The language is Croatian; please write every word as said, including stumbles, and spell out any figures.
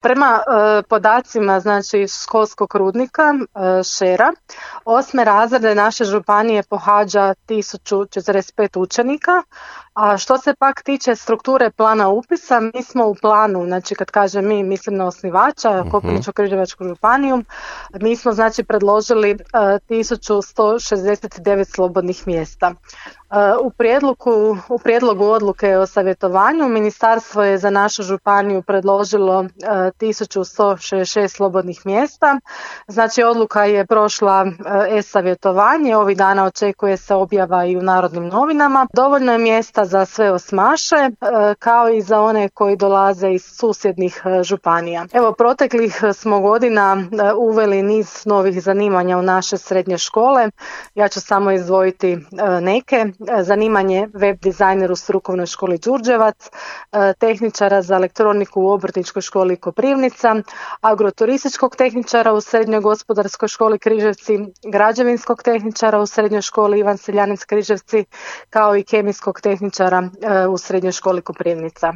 Prema e, podacima znači školskog rudnika e, Šera, osme razrede naše županije pohađa tisuću četrdeset pet učenika, a što se pak tiče strukture plana upisa, mi smo u planu, znači kad kažem mi, mislim na osnivača, uh-huh. Koprivničko-križevačku županiju, mi smo znači predložili e, tisuću sto šezdeset devet slobodnih mjesta. U prijedlogu, u prijedlogu odluke o savjetovanju ministarstvo je za našu županiju predložilo tisuću sto šezdeset šest slobodnih mjesta. Znači odluka je prošla e-savjetovanje, ovih dana očekuje se objava i u Narodnim novinama. Dovoljno je mjesta za sve osmaše kao i za one koji dolaze iz susjednih županija. Evo, proteklih smo godina uveli niz novih zanimanja u naše srednje škole. Ja ću samo izdvojiti neke. Zanimanje web dizajner u strukovnoj školi Đurđevac, tehničara za elektroniku u obrtničkoj školi Koprivnica, agroturističkog tehničara u srednjoj gospodarskoj školi Križevci, građevinskog tehničara u srednjoj školi Ivan Seljanec Križevci, kao i kemijskog tehničara u srednjoj školi Koprivnica.